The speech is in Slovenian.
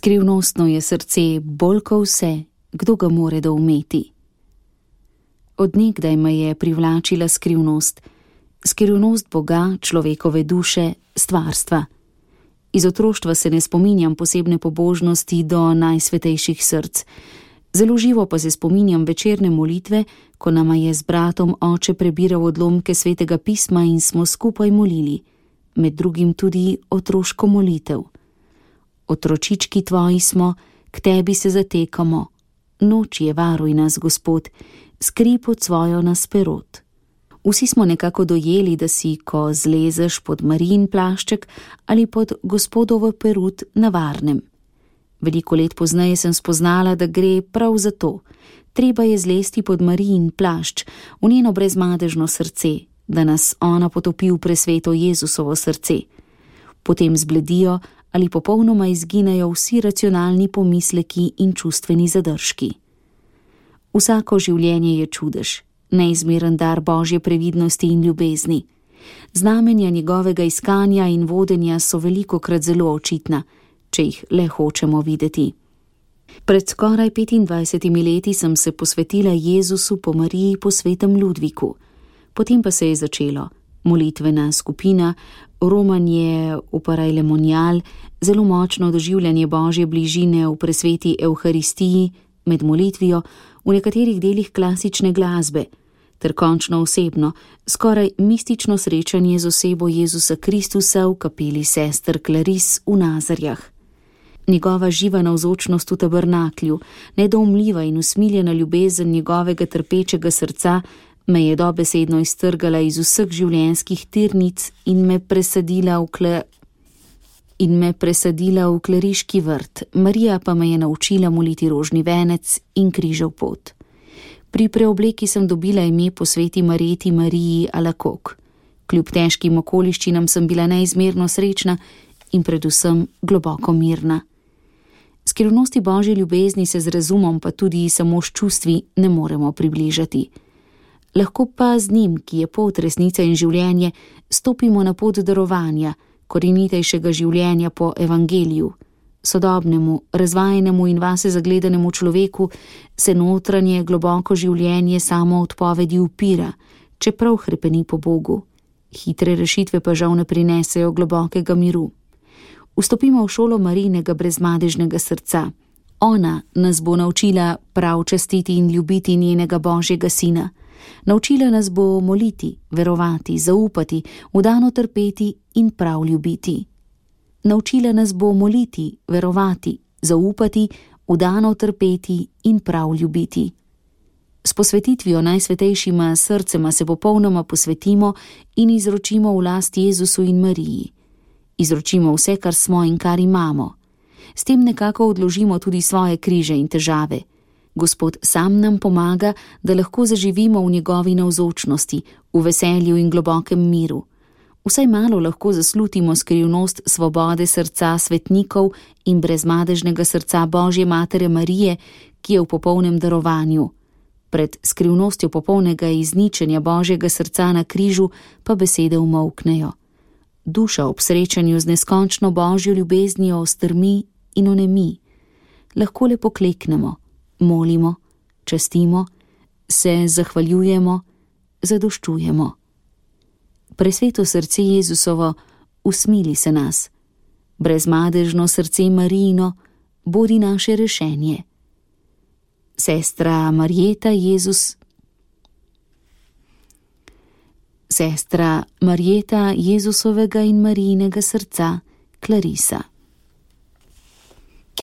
Skrivnostno je srce bolj ko vse, kdo ga more doumeti. Od nekdaj me je privlačila skrivnost Boga, človekove duše, stvarstva. Iz otroštva se ne spominjam posebne pobožnosti do najsvetejših src. Zelo živo pa se spominjam večerne molitve, ko nama je z bratom oče prebiral odlomke svetega pisma in smo skupaj molili, med drugim tudi otroško molitev. Otročički tvoji smo, k tebi se zatekamo, noč je varuj nas, Gospod, skri pod svojo nas perot. Vsi smo nekako dojeli, da si, ko zlezeš pod Marijin plašček ali pod Gospodovo perut, na varnem. Veliko let pozneje sem spoznala, da gre prav za to. Treba je zlesti pod Marijin plašč, v njeno brezmadežno srce, da nas ona potopi v presveto Jezusovo srce. Potem zbledijo ali popolnoma izginejo vsi racionalni pomisleki in čustveni zadržki. Vsako življenje je čudež, neizmeren dar Božje previdnosti in ljubezni. Znamenja njegovega iskanja in vodenja so velikokrat zelo očitna, če jih le hočemo videti. Pred skoraj 25 leti sem se posvetila Jezusu po Mariji po svetem Ludviku. Potem pa se je začelo molitvena skupina, romanje v parajlemonial, zelo močno doživljanje Božje bližine v presveti Evharistiji, med molitvijo, v nekaterih delih klasične glasbe, ter končno osebno, skoraj mistično srečanje z osebo Jezusa Kristusa v kapeli sester Klaris v Nazarjah. Njegova živa navzočnost v tabernaklju, nedoumljiva in usmiljena ljubezen njegovega trpečega srca me je dobesedno iztrgala iz vseh življenjskih tirnic in me presadila v kleriški vrt. Marija pa me je naučila moliti rožni venec in križev pot. Pri preobleki sem dobila ime po sveti Marjeti Mariji Alakok. Kljub težkim okoliščinam sem bila neizmerno srečna in predvsem globoko mirna. Skrivnosti Božje ljubezni se z razumom, pa tudi samo s čustvi, ne moremo približati. Lahko pa z njim, ki je pot, resnica in življenje, stopimo na pot darovanja, korenitejšega življenja po evangeliju. Sodobnemu, razvajenemu in vase zagledanemu človeku se notranje globoko življenje samo odpovedi upira, čeprav hrepeni po Bogu. Hitre rešitve pa žal ne prinesejo globokega miru. Vstopimo v šolo Marijinega brezmadežnega srca. Ona nas bo naučila prav častiti in ljubiti njenega Božjega sina. Naučila nas bo moliti, verovati, zaupati, vdano trpeti in prav ljubiti. Naučila nas bo moliti, verovati, zaupati, vdano trpeti in prav ljubiti. S posvetitvijo najsvetejšima srcema se popolnoma posvetimo in izročimo v last Jezusu in Mariji. Izročimo vse, kar smo in kar imamo. S tem nekako odložimo tudi svoje križe in težave. Gospod sam nam pomaga, da lahko zaživimo v njegovi navzočnosti, v veselju in globokem miru. Vsaj malo lahko zaslutimo skrivnost svobode srca svetnikov in brezmadežnega srca Božje Matere Marije, ki je v popolnem darovanju. Pred skrivnostjo popolnega izničenja Božjega srca na križu pa besede umolknejo. Duša ob srečanju z neskončno Božjo ljubeznijo strmi in onemi. Lahko le pokleknemo, molimo, častimo, se zahvaljujemo, zadoščujemo. Presveto srce Jezusovo, usmili se nas. Brezmadežno srce Marijino, bodi naše rešenje. Sestra Marjeta Jezusovega in Marijinega srca, Clarisa.